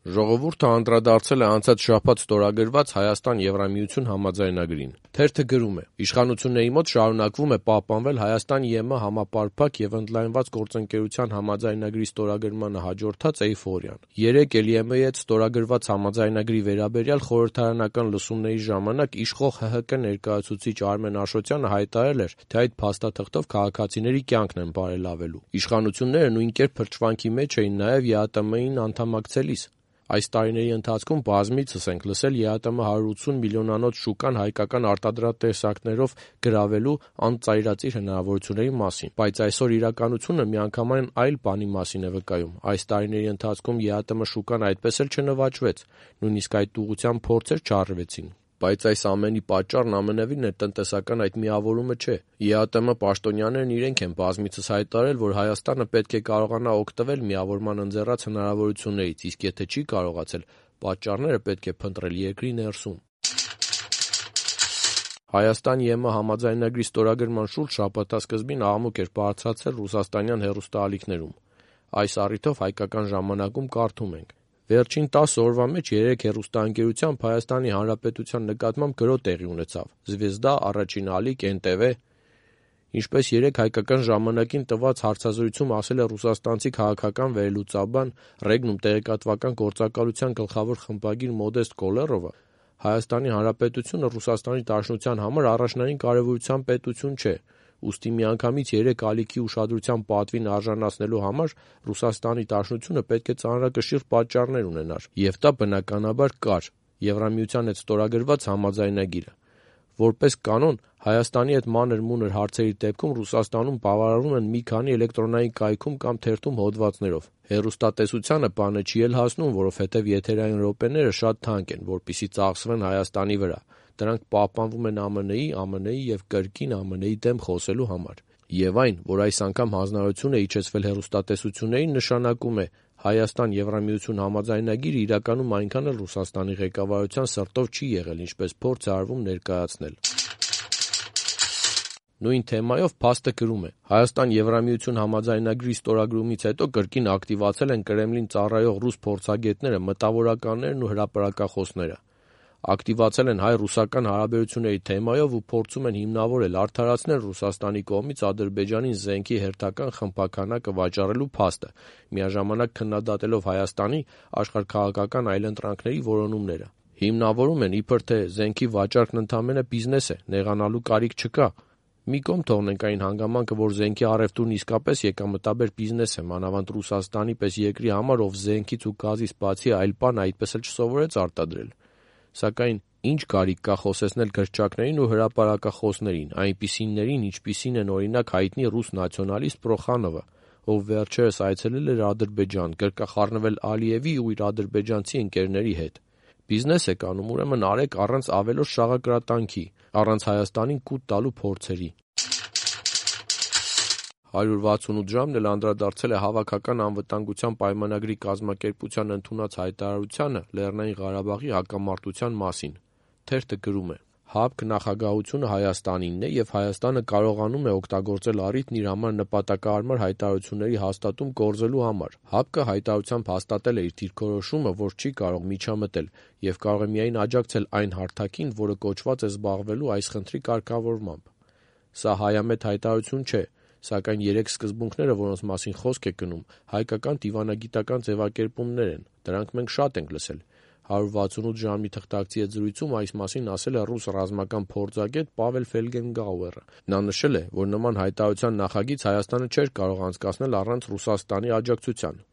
Ժողովուրդը անդրադարձել է անցած շաբաթ ստորագրված Հայաստան-Եվրամիություն համաձայնագրին։ Թերթը գրում է. «Իշխանությունների մոտ շարունակվում է պահպանվել Հայաստան-ԵՄ համապարփակ եւ ընդլայնված գործընկերության համաձայնագրի ստորագրմանը հաջորդած էյֆորիան։ Երեկ էլ ԵՄ-ի հետ ստորագրված համաձայնագրի վերաբերյալ խորհրդարանական լսումների ժամանակ իշխող ՀՀԿ ներկայացուցիչ Արմեն Աշոտյանը հայտարարել էր, թե այդ փաստաթղթով քաղաքացիների կյանքն են բարելավելու։ Իշխանությունները նույն կերպ փրկչվանքի մեջ էին նաեւ ԵԱՏՄ-ին անդամակցելիս։ Այս տարիների ընթացքում բազմիցս ենք լսել ԵԱՏՄ 180 միլիոնանոց շուկան հայկական արտադրատեսակներով գրավելու անծայրածիր հնարավորությունների մասին։ Բայց այսօր իրականությունը միանգամայն այլ բանի մասին է վկայում։ Այս տարիների ընթացքում ԵԱՏՄ շուկան այդպես էլ չնվաճվեց, նույնիսկ այդ ուղղությամբ փորձեր չարվեցին։ Բայց այս ամենի պատճառն ամենևին տնտեսական այդ միավորումը չէ։ ԵԱՏՄ պաշտոնյաներն իրենք են բազմիցս հայտարարել, որ Հայաստանը պետք է կարողանա օգտվել միավորման ընձեռած հնարավորություններից, իսկ եթե չի կարողացել, պատճառները պետք է փնտրել երկրի ներսում»։ Հայաստան-ԵՄ համաձայնագրի ստորագրման շուրջ շաբաթասկզբին աղմուկ էր բարձրացել ռուսաստանյան հեռուստաալիքներում։ Այս առիթով հայկական ժամանակում կարդում ենք. «Վերջին 10 օրվա մեջ 3 հեռուստաընկերությամբ Հայաստանի Հանրապետության նկատմամբ գրոհ տեղի ունեցավ. Զվեզդա, Առաջին ալիք, NTV։ Ինչպես երեկ հայկական ժամանակին տված հարցազրույցում ասել է ռուսաստանցի քաղաքական վերլուծաբան, Ռեգնում տեղեկատվական գործակալության գլխավոր խմբագիր Մոդեստ Կոլեռովը, Հայաստանի Հանրապետությունը Ռուսաստանի Դաշնության համար առաջնային կարևորության պետություն չէ, ուստի միանգամից 3 ալիքի ուշադրության պատվին արժանացնելու համար Ռուսաստանի Դաշնությունը պետք է ծանրակշիռ պատճառներ ունենար, եւ դա բնականաբար կար Եվրամիության հետ ստորագրված համաձայնագիրը։ Որպես կանոն, Հայաստանի հետ մանր-մունր հարցերի դեպքում Ռուսաստանում բավարարվում են մի քանի էլեկտրոնային կայքում կամ թերթում հոդվածներով։ Հեռուստատեսությանը բանը չի էլ հասնում, որովհետև եթերային րոպեները շատ թանկ են, որպեսզի ծախսվեն Հայաստանի վրա։ Դրանք պահպանվում են ԱՄՆ-ի եւ կրկին ԱՄՆ-ի դեմ խոսելու համար։ Եվ այն, որ այս անգամ հանձնարարություն է իջեցվել հեռուստատեսություններին, նշանակում է Հայաստան-Եվրամիություն համաձայնագիրը իրականում այնքան էլ Ռուսաստանի ղեկավարության սրտով չի եղել, ինչպես փորձ է արվում ներկայացնել»։ Նույն թեմայով փաստը գրում է. «Հայաստան-Եվրամիություն համաձայնագրի ստորագրումից հետո կրկին ակտիվացել են Կրեմլին ծառայող ռուս փորձագետները, մտավորականներն ու հրապարակախոսները։ Ակտիվացել են հայ-ռուսական հարաբերությունների թեմայով ու փորձում են հիմնավորել, արդարացնել Ռուսաստանի կողմից Ադրբեջանին զենքի հերթական խմբաքանակը վաճառելու փաստը, միաժամանակ քննադատելով Հայաստանի աշխարհաքաղաքական այլընտրանքների որոնումները։ Հիմնավորում են, իբր թե զենքի վաճառքն ընդամենը բիզնես է, նեղանալու կարիք չկա։ Մի կողմ թողնենք այն հանգամանքը, որ զենքի առևտուրն իսկապես եկամտաբեր բիզնես է, մանավանդ Ռուսաստանի պես երկրի համար, ով զենքից ու գազից բացի այլ բան այդպես էլ չսովորեց արտադրել։ Սակայն ինչ կարիք կա խոսեցնել գրչակներին ու հրապարակախոսներին, այնպիսիներին, ինչպիսին են օրինակ հայտնի ռուս նացիոնալիստ Պրոխանովը, ով վերջերս այցելել էր Ադրբեջան, գրկախառնվել Ալիևի ու իր ադրբեջանցի ընկերների հետ։ Բիզնես եք անում, ուրեմն արեք առանց ավելորդ շաղակրատանքի, առանց Հայաստանին կուտ տալու փորձերի»։ 168 ժամն էլ անդրադարձել է Հավաքական անվտանգության պայմանագրի կազմակերպության ընդունած հայտարարությանը Լեռնային Ղարաբաղի հակամարտության մասին։ Թերթը գրում է. «ՀԱԲԿ նախագահությունը Հայաստանինն է եւ Հայաստանը կարողանում է օգտագործել առիթն իր համար նպատակահարմար հայտարարությունների հաստատում կորզելու համար։ ՀԱԲԿ-ը հայտարարությամբ հաստատել է իր դիրքորոշումը, որ չի կարող միջամտել եւ կարող է միայն աջակցել այն հարթակին, որը կոչված է զբաղվելու այս խնդրի կարգավորմամբ։ Սա հայամետ հայտարարություն չէ, սակայն 3 սկզբունքները, որոնց մասին խոսք է գնում, հայկական դիվանագիտական ձևակերպումներ են, դրանք մենք շատ ենք լսել։ 168 ժամի թղթակցի հետ զրույցում այս մասին ասել է ռուս ռազմական փորձագետ Պավել Ֆելգենգաուերը։ Նա նշել է, որ նման հայտարարության նախագիծ Հայաստանը չէր կարող անցկացնել առանց Ռուսաստանի աջակցության։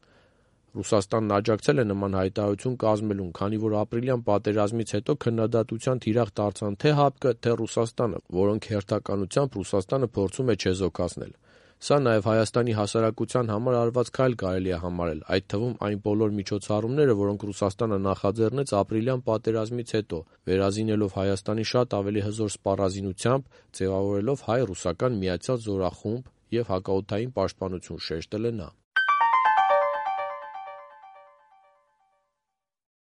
Ռուսաստանն աջակցել է նման հայտարարություն կազմելուն, քանի որ ապրիլյան պատերազմից հետո քննադատության թիրախ դարձան թե ՀԱԲԿ-ը, թե Ռուսաստանը, որոնք հերթականությամբ Ռուսաստանը փորձում է չեզոքացնել։ Սա նաև Հայաստանի հասարակության համար արված քայլ կարելի է համարել, այդ թվում այն բոլոր միջոցառումները, որոնք Ռուսաստանը նախաձեռնեց ապրիլյան պատերազմից հետո, վերազինելով Հայաստանի շատ ավելի հզոր սպառազինությամբ, ձևավորելով հայ-ռուսական միացյալ զորախումբ և հակաօդային պաշտպանություն, շեշտել է նա։